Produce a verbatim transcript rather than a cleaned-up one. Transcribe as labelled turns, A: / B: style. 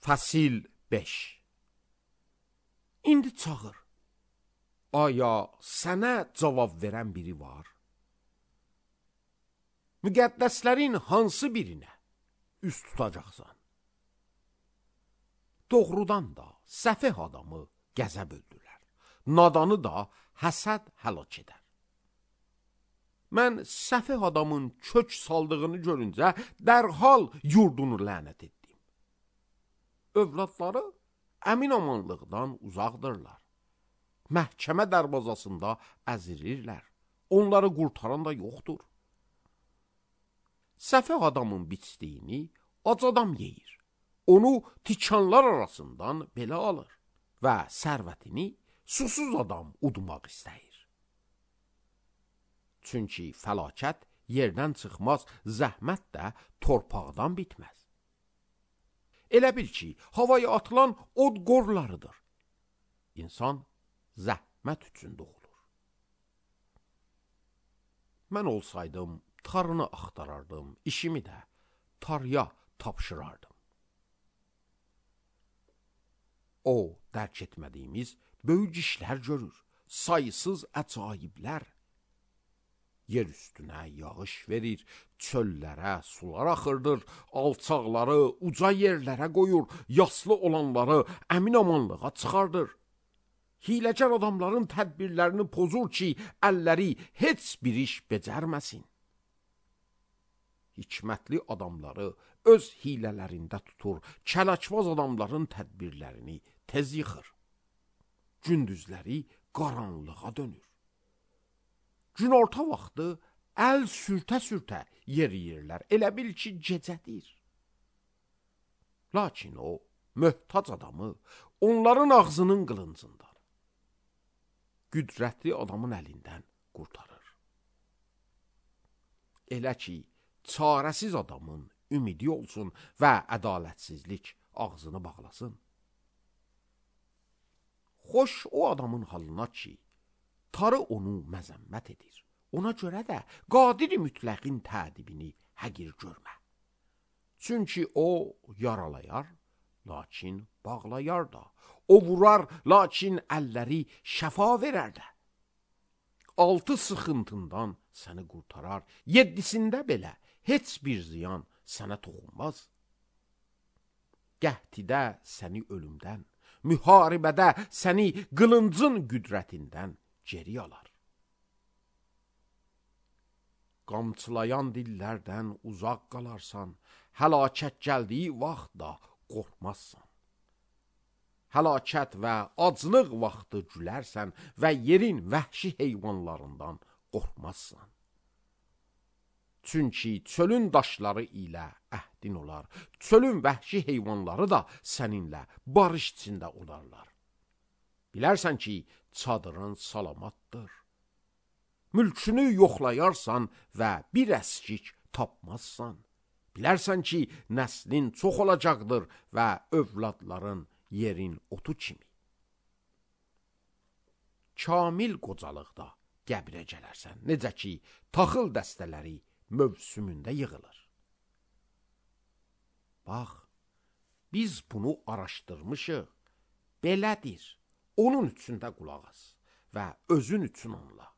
A: Fəsil beş. İndi çağır. Aya sənə cavab verən biri var? Müqəddəslərin hansı birinə üst tutacaqsan? Doğrudan da səfeh adamı qəzəb öldürər, nadanı da həsəd həlak edər. Mən səfeh adamın kök saldığını görüncə dərhal yurdunu lənət etdim. Övladları əmin amanlıqdan uzaqdırlar. Məhkəmə dərvazasında əzirirlər. Onları qurtaran da yoxdur. Səfeh adamın biçdiyini ac adam yeyir. Onu tikanlar arasından belə alır və sərvətini susuz adam udmaq istəyir. Çünki fəlakət yerdən çıxmaz, zəhmət də torpaqdan bitməz. Elə bil ki, havaya atılan od qorlarıdır. İnsan zəhmət üçün doğulur. Mən olsaydım, tarını axtarardım, işimi də tarıya tapşırardım. O, dərk etmədiyimiz böyük işlər görür, sayısız əcaiblər. Yer üstünə yağış verir, çöllərə sular axırdır, alçaqları uca yerlərə qoyur, yaslı olanları əmin amanlığa çıxardır. Hiləgər adamların tədbirlərini pozur ki, əlləri heç bir iş becərməsin. Hikmətli adamları öz hilələrində tutur, kələkvaz adamların tədbirlərini tez yıxır. Gündüzləri qaranlığa dönür. Günorta vaxtı əl sürtə-sürtə yeriyirlər, elə bil ki, gecədir. Lakin o, möhtac adamı onların ağzının qılıncındadır. Qüdrətli adamın əlindən qurtarır. Elə ki, çarəsiz adamın ümidi olsun və ədalətsizlik ağzını bağlasın. Xoş o adamın halına ki, tarı onu məzəmmət edir. Ona görə də qadir-i mütləqin tədibini həqir görmə. Çünki o yaralayar, lakin bağlayar da. O vurar, lakin əlləri şəfa verər də. Altı sıxıntından səni qurtarar, yeddisində belə heç bir ziyan sənə toxunmaz. Qəhtidə səni ölümdən, müharibədə səni qılıncın qüdrətindən geri alar. Qamçılayan dillərdən uzaq qalarsan, həlakət gəldiyi vaxt da qorxmazsan. Həlakət və aclıq vaxtı gülərsən və yerin vəhşi heyvanlarından qorxmazsan. Çünki çölün daşları ilə əhdin olar, çölün vəhşi heyvanları da səninlə barış içində olarlar. Bilərsən ki, çadırın salamatdır. Mülkünü yoxlayarsan və bir əskik tapmazsan. Bilərsən ki, nəslin çox olacaqdır və övladların yerin otu kimi. Kamil qocalıqda qəbrə gələrsən, necə ki, taxıl dəstələri mövsümündə yığılır. Bax, biz bunu araşdırmışıq, belədir, onun üçün də qulaq as və özün üçün anla.